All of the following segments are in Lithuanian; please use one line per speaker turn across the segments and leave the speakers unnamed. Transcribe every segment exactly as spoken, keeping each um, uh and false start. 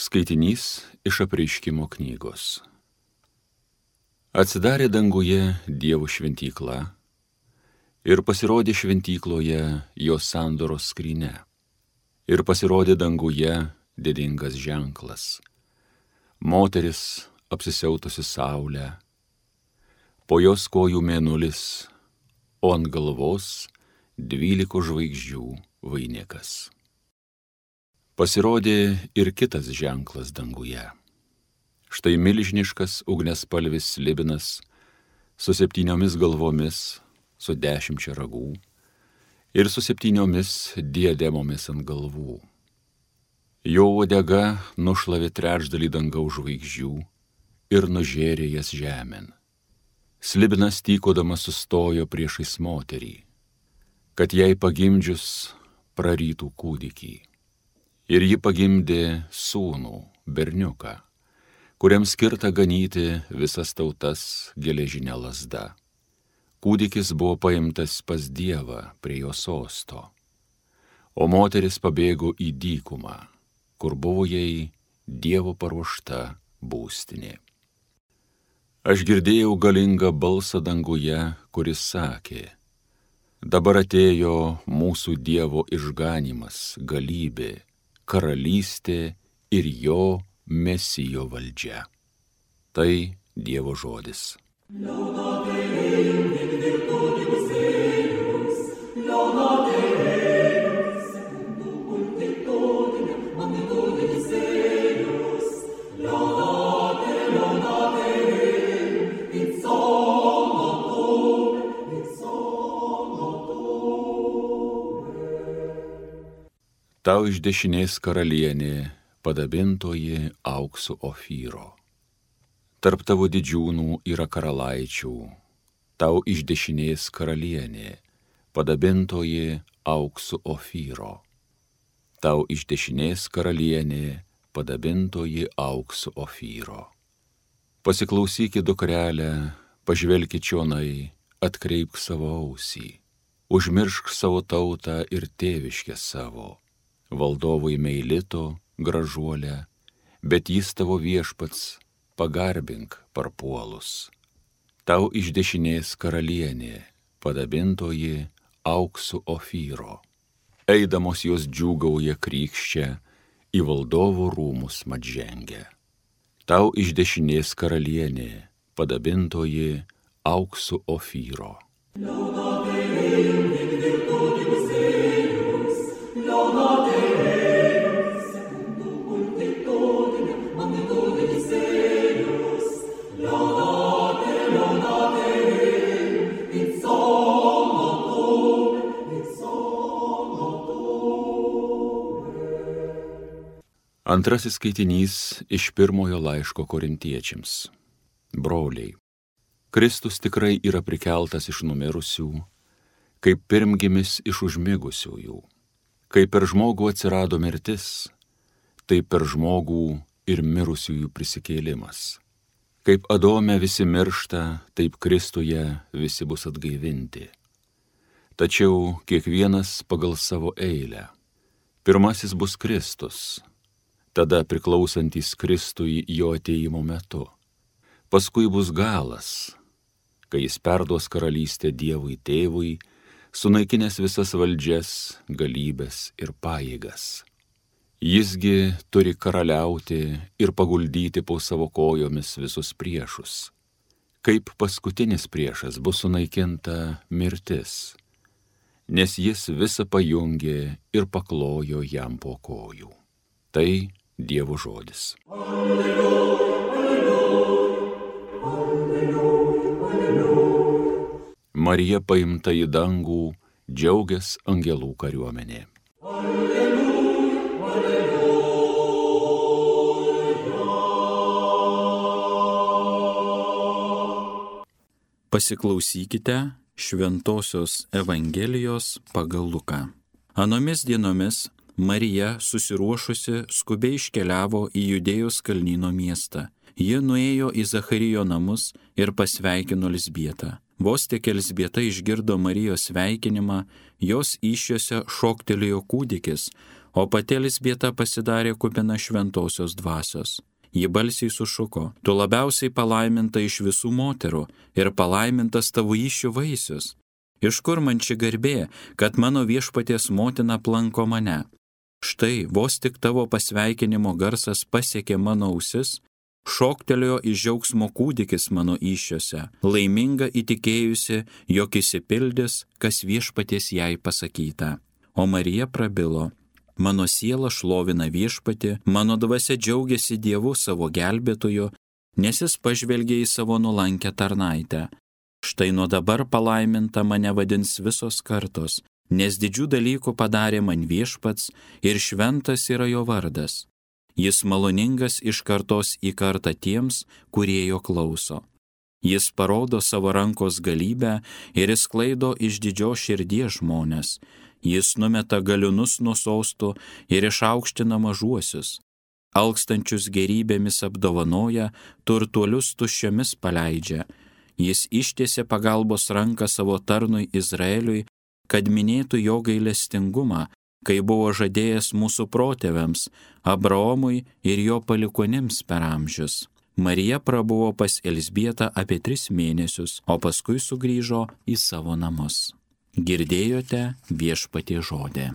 Skaitinys iš Apreiškimo knygos. Atsidarė danguje Dievo šventykla ir pasirodė šventykloje jo sandoros skrynia. Ir pasirodė danguje didingas ženklas. Moteris apsisiautusi saulę, po jos kojų mėnulis, o ant galvos dvylikos žvaigždžių vainikas. Pasirodė ir kitas ženklas danguje. Štai milžiniškas ugniaspalvis slibinas su septyniomis galvomis, su dešimčia ragų ir su septyniomis diademomis ant galvų. Jo uodega nušlavė trečdalį dangaus žvaigždžių ir nužėrė jas žemėn. Slibinas tykodamas sustojo priešais moterį, kad jai pagimdžius prarytų kūdikį. Ir ji pagimdė sūnų, berniuką, kuriam skirta ganyti visas tautas geležinė lazda. Kūdikis buvo paimtas pas Dievą prie jo sosto, o moteris pabėgo į dykumą, kur buvo jai Dievo paruošta būstinė. Aš girdėjau galingą balsą danguje, kuris sakė: dabar atėjo mūsų Dievo išganymas, galybė, karalystė ir jo Mesijo valdžia. Tai Dievo žodis. Tau iš dešinės karalienė, padabintoji auksu Ofyro. Tarp tavo didžiūnų yra karalaičių, tau iš dešinės karalienė, padabintoji auksu Ofyro. Tau iš dešinės karalienė, padabintoji auksu Ofyro. Pasiklausykit, dukrelę, pažvelkit čionai, atkreipk savo ausį, užmiršk savo tautą ir tėviškę savo. Valdovui meilito gražuolę, bet jis tavo viešpats, pagarbink parpuolus. Tau iš dešinės karalienė, padabintoji auksu Ofyro. Eidamos jos džiūgauja krykščia, į valdovų rūmus mat žengia. Tau iš dešinės karalienė, padabintoji auksu Ofyro. Antrasis skaitinys iš pirmojo laiško Korintiečiams. Broliai, Kristus tikrai yra prikeltas iš numirusių, kaip pirmgimis iš užmigusiųjų. Kaip per žmogų atsirado mirtis, taip per žmogų ir mirusiųjų prisikėlimas. Kaip Adome visi miršta, taip Kristuje visi bus atgaivinti. Tačiau kiekvienas pagal savo eilę. Pirmasis bus Kristus, tada priklausantis Kristui jo atėjimo metu. Paskui bus galas, kai jis perduos karalystę Dievui Tėvui, sunaikinęs visas valdžias, galybes ir pajėgas. Jisgi turi karaliauti ir paguldyti po savo kojomis visus priešus. Kaip paskutinis priešas bus sunaikinta mirtis, nes jis visą pajungė ir paklojo jam po kojų. Tai Dievo žodis. Alleluja, alleluja, alleluja, alleluja. Marija paimta į dangų, džiaugias angelų kariuomenė. Alleluja, alleluja.
Pasiklausykite Šventosios Evangelijos pagal Luką. Anomis dienomis Marija, susiruošusi, skubiai iškeliavo į Judėjos kalnyno miestą. Ji nuėjo į Zacharijo namus ir pasveikino Elzbietą. Vos tik Elzbieta išgirdo Marijos sveikinimą, jos įsčiose šoktelėjo kūdikis, o pati Elzbieta pasidarė kupina šventosios dvasios. Ji balsiai sušuko: tu labiausiai palaiminta iš visų moterų ir palaimintas tavo įsčių vaisius. Iš kur man ši garbė, kad mano viešpaties motina aplanko mane? Štai vos tik tavo pasveikinimo garsas pasiekė mano ausis, šoktelėjo iš džiaugsmo kūdikis mano įsčiose, laiminga įtikėjusi, jog išsipildys, kas viešpaties jai pasakyta. O Marija prabilo: mano siela šlovina viešpatį, mano dvasia džiaugiasi Dievu savo gelbėtoju, nes jis pažvelgė į savo nuolankę tarnaitę. Štai nuo dabar palaiminta mane vadins visos kartos, nes didžių dalykų padarė man viešpats ir šventas yra jo vardas. Jis maloningas iš kartos į kartą tiems, kurie jo klauso. Jis parodo savo rankos galybę ir išsklaido iš didžios širdies žmonės. Jis numeta galiūnus nuo sostų ir išaukština mažuosius. Alkstančius gerybėmis apdovanoja, turtuolius tuščiomis paleidžia. Jis ištiesė pagalbos ranką savo tarnui Izraeliui, kad minėtų jo gailestingumą, kai buvo žadėjęs mūsų protėviams, Abraomui ir jo palikonims per amžius. Marija prabuvo pas Elzbietą apie tris mėnesius, o paskui sugrįžo į savo namus. Girdėjote viešpatie žodį.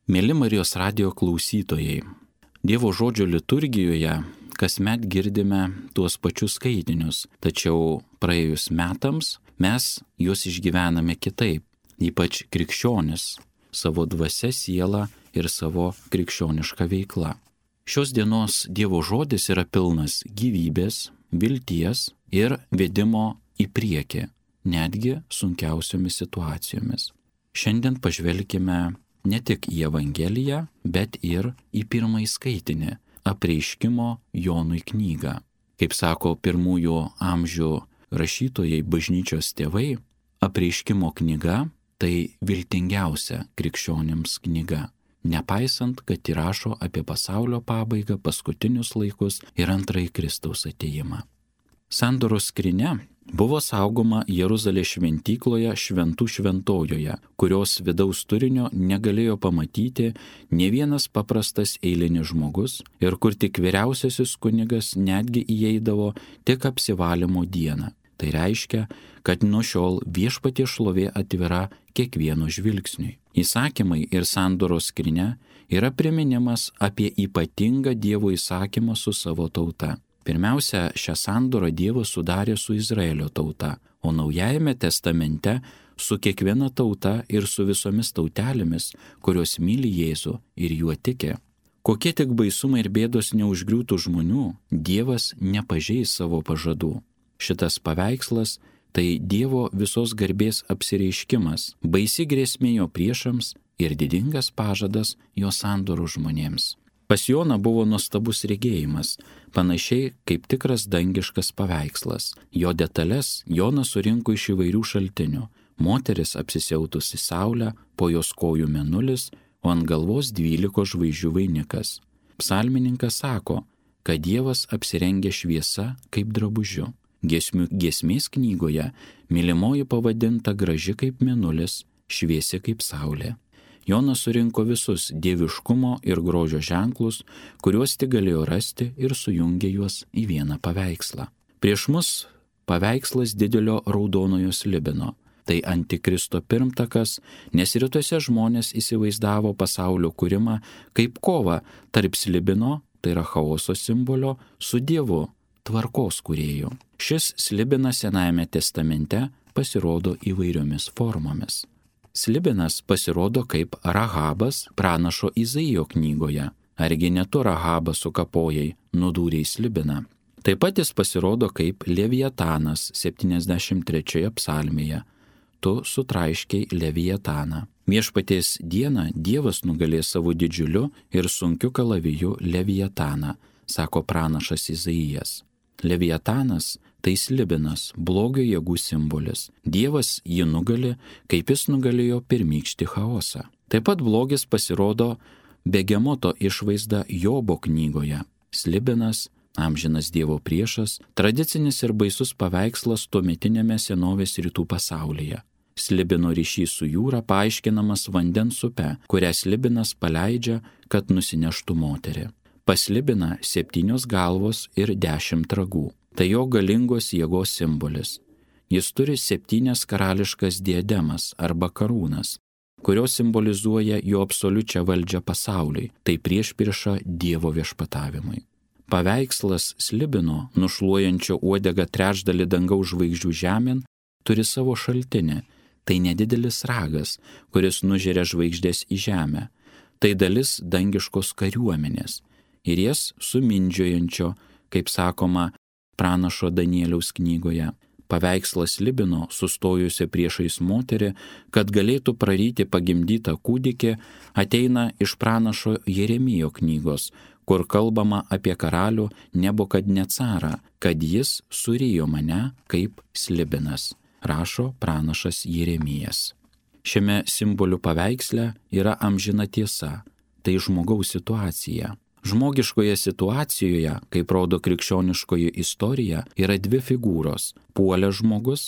Mėly Marijos radijo klausytojai, Dievo žodžio liturgijoje kasmet girdime tuos pačius skaitinius, tačiau praėjus metams mes juos išgyvename kitaip, ypač krikščionis, savo dvasia, siela ir savo krikščioniška veikla. Šios dienos Dievo žodis yra pilnas gyvybės, vilties ir vedimo į priekį, netgi sunkiausiomis situacijomis. Šiandien pažvelkime ne tik į Evangeliją, bet ir į pirmąjį skaitinį – Apreiškimo Jonui knygą. Kaip sako pirmųjų amžių rašytojai, bažnyčios tėvai, Apreiškimo knyga – tai viltingiausia krikščionims knyga, nepaisant, kad įrašo apie pasaulio pabaigą, paskutinius laikus ir antrąjį Kristaus atėjimą. Sandoros skrynia buvo saugoma Jeruzalės šventykloje Šventų šventojoje, kurios vidaus turinio negalėjo pamatyti nė vienas paprastas eilinis žmogus ir kur tik vyriausiasis kunigas netgi įeidavo tik apsivalymo dieną. Tai reiškia, kad nuo šiol viešpaties šlovė atvira kiekvieno žvilgsniui. Įsakymai ir sandoros skrynia yra priminimas apie ypatingą Dievo įsakymą su savo tauta. Pirmiausia, šią sandorą Dievas sudarė su Izraelio tauta, o Naujajame testamente su kiekviena tauta ir su visomis tautelėmis, kurios myli Jėzų ir juo tiki. Kokie tik baisumai ir bėdos neužgriūtų žmonių, Dievas nepažeis savo pažadų. Šitas paveikslas tai Dievo visos garbės apsireiškimas, baisi grėsmė jo priešams ir didingas pažadas jo sandorų žmonėms. Pas Joną buvo nuostabus regėjimas, panašiai kaip tikras dangiškas paveikslas. Jo detalės Jonas surinko iš įvairių šaltinių. Moteris apsisiautusi saulę, po jos kojų mėnulis, o ant galvos dvylikos žvaigždžių vainikas. Psalmininkas sako, kad Dievas apsirengė šviesa kaip drabužiu. Giesmių giesmės knygoje mylimoji pavadinta graži kaip mėnulis, šviesi kaip saulė. Jonas surinko visus dieviškumo ir grožio ženklus, kuriuos tik galėjo rasti ir sujungė juos į vieną paveikslą. Prieš mus paveikslas didelio raudonojo slibino. Tai antikristo pirmtakas, nes rytuose žmonės įsivaizdavo pasaulio kūrimą kaip kovą tarp slibino, tai yra chaoso simbolio, su Dievu, tvarkos kūrėju. Šis slibinas Senajame testamente pasirodo įvairiomis formomis. Slibinas pasirodo kaip Rahabas pranašo Izaijo knygoje. Argi ne tu Rahabą sukapojai, nudūrei slibiną. Taip pat jis pasirodo kaip Leviatanas septyniasdešimt trečioje psalmėje. Tu sutraiškiai Leviataną. Viešpaties dieną Dievas nugalės savo didžiuliu ir sunkiu kalaviju Leviataną, sako pranašas Izaijas. Leviatanas tai slibinas, blogio jėgų simbolis. Dievas jį nugali, kaip jis nugalėjo pirmykštį chaosą. Taip pat blogis pasirodo Begemoto išvaizda Jobo knygoje. Slibinas amžinas Dievo priešas, tradicinis ir baisus paveikslas tuometinėme senovės rytų pasaulyje. Slibino ryšys su jūra paaiškinamas vandens upe, kurią slibinas paleidžia, kad nusineštų moterį. Pas slibiną septynios galvos ir dešimt ragų. Tai jo galingos jėgos simbolis. Jis turi septynias karališkas diademas arba karūnas, kurios simbolizuoja jo absoliučią valdžią pasauliui, tai priešprieša Dievo viešpatavimui. Paveikslas slibino, nušluojančio uodegą trečdalį dangaus žvaigždžių žemėn, turi savo šaltinį. Tai nedidelis ragas, kuris nužeria žvaigždės į žemę. Tai dalis dangiškos kariuomenės ir jas sumindžiojančio, kaip sakoma, pranašo Danieliaus knygoje. Paveikslas slibino, sustojusio priešais moterį, kad galėtų praryti pagimdytą kūdikį, ateina iš pranašo Jeremijo knygos, kur kalbama apie karalių Nebukadnecarą, kad jis surijo mane kaip slibinas, rašo pranašas Jeremijas. Šiame simbolių paveiksle yra amžina tiesa, tai žmogaus situacija. Žmogiškoje situacijoje, kaip rodo krikščioniškoji istorija, yra dvi figūros – puolęs žmogus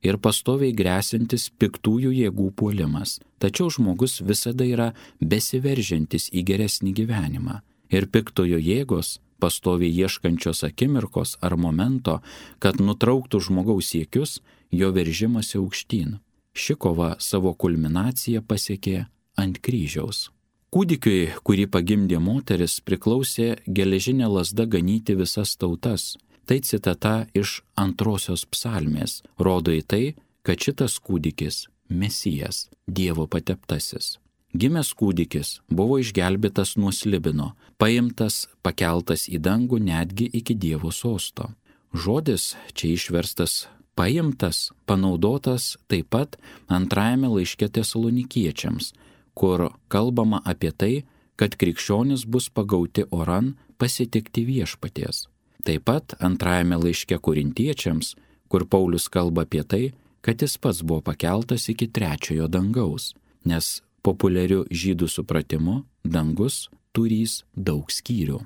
ir pastoviai grėsintis piktųjų jėgų puolimas. Tačiau žmogus visada yra besiveržiantis į geresnį gyvenimą. Ir piktojo jėgos, pastoviai ieškančios akimirkos ar momento, kad nutrauktų žmogaus siekius, jo veržimasi aukštyn. Ši kova savo kulminaciją pasiekė ant kryžiaus. Kūdikiui, kurį pagimdė moteris, priklausė geležinė lazda ganyti visas tautas. Tai citata iš antrosios psalmės, rodo į tai, kad šitas kūdikis – Mesijas, Dievo pateptasis. Gimęs kūdikis buvo išgelbėtas nuo slibino, paimtas, pakeltas į dangų netgi iki Dievo sosto. Žodis, čia išverstas paimtas, panaudotas taip pat antrajame laiške Tesalonikiečiams, kur kalbama apie tai, kad krikščionis bus pagauti oran pasitikti viešpaties. Taip pat antrajame laiške Korintiečiams, kur Paulius kalba apie tai, kad jis pats buvo pakeltas iki trečiojo dangaus, nes populiariu žydų supratimu dangus turys daug skyrių.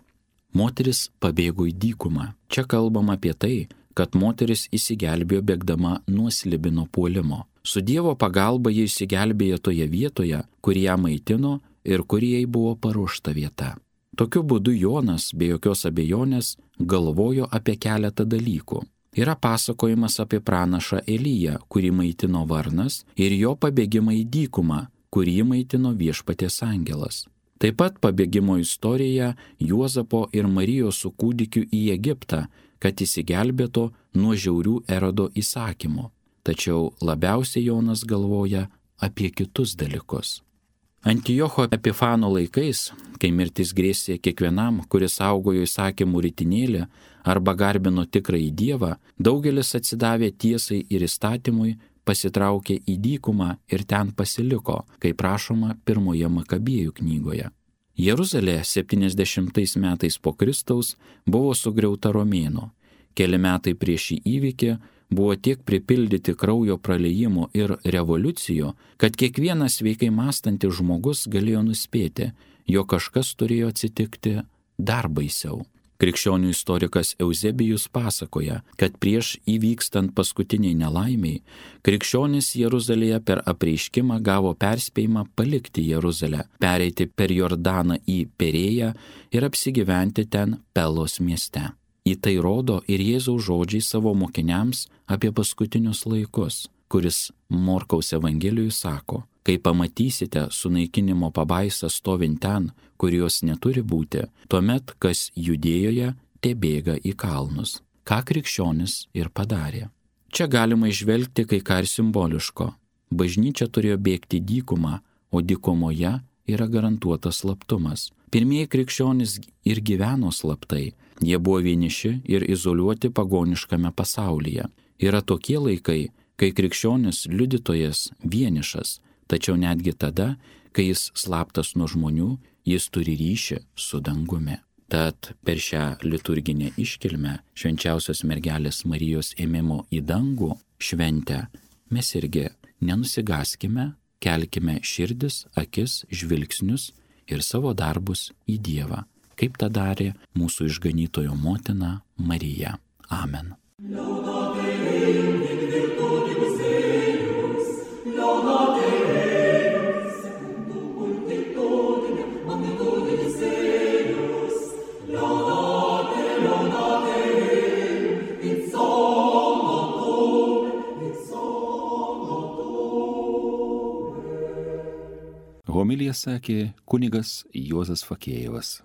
Moteris pabėgo į dykumą. Čia kalbama apie tai, kad moteris įsigelbėjo bėgdama nuo slibino puolimo. Su Dievo pagalba jie įsigelbėjo toje vietoje, kur ją maitino ir kur jai buvo paruošta vieta. Tokiu būdu Jonas, be jokios abejonės, galvojo apie keletą dalykų. Yra pasakojimas apie pranašą Eliją, kurį maitino varnas, ir jo pabėgimą į dykumą, kurį maitino viešpaties angelas. Taip pat pabėgimo istorija Juozapo ir Marijos su kūdikiu į Egiptą, kad įsigelbėtų nuo žiaurių Erodo įsakymų. Tačiau labiausiai Jonas galvoja apie kitus dalykus. Antiocho Epifano laikais, kai mirtis grėsė kiekvienam, kuris saugojo įsakymų ritinėlį arba garbino tikrąjį Dievą, daugelis atsidavė tiesai ir įstatymui, pasitraukė į dykumą ir ten pasiliko, kaip rašoma pirmoje Makabėjų knygoje. Jeruzalė septyniasdešimtais metais po Kristaus buvo sugriauta romėnų. Keli metai prieš šį įvykį buvo tiek pripildyti kraujo praliejimų ir revoliucijų, kad kiekvienas sveikai mąstantis žmogus galėjo nuspėti, jog kažkas turėjo atsitikti dar baisiau. Krikščionių istorikas Euzebijus pasakoja, kad prieš įvykstant paskutiniai nelaimiai, krikščionys Jeruzalėje per apreiškimą gavo perspėjimą palikti Jeruzalę, pereiti per Jordaną į Perėją ir apsigyventi ten Pelos mieste. Į tai rodo ir Jėzaus žodžiai savo mokiniams apie paskutinius laikus, kuris Morkaus Evangelijoje sako: kai pamatysite sunaikinimo pabaisą stovint ten, kur jos neturi būti, tuomet kas Judėjoje tebėga į kalnus. Ką krikščionis ir padarė. Čia galima išvelgti kai ką ir simboliško. Bažnyčia turėjo bėgti dykumą, o dykumoje yra garantuotas slaptumas. Pirmieji krikščionys ir gyveno slaptai. Jie buvo vieniši ir izoliuoti pagoniškame pasaulyje. Yra tokie laikai, kai krikščionis liudytojas vienišas, tačiau netgi tada, kai jis slaptas nuo žmonių, jis turi ryšį su dangumi. Tad per šią liturginę iškilmę švenčiausios mergelės Marijos ėmimo į dangų šventę mes irgi nenusigaskime, kelkime širdis, akis, žvilgsnius ir savo darbus į Dievą. kaip tą darė mūsų išganytojo motina Marija. Amen.
Homiliją sakė kunigas Juozas Fakėjevas.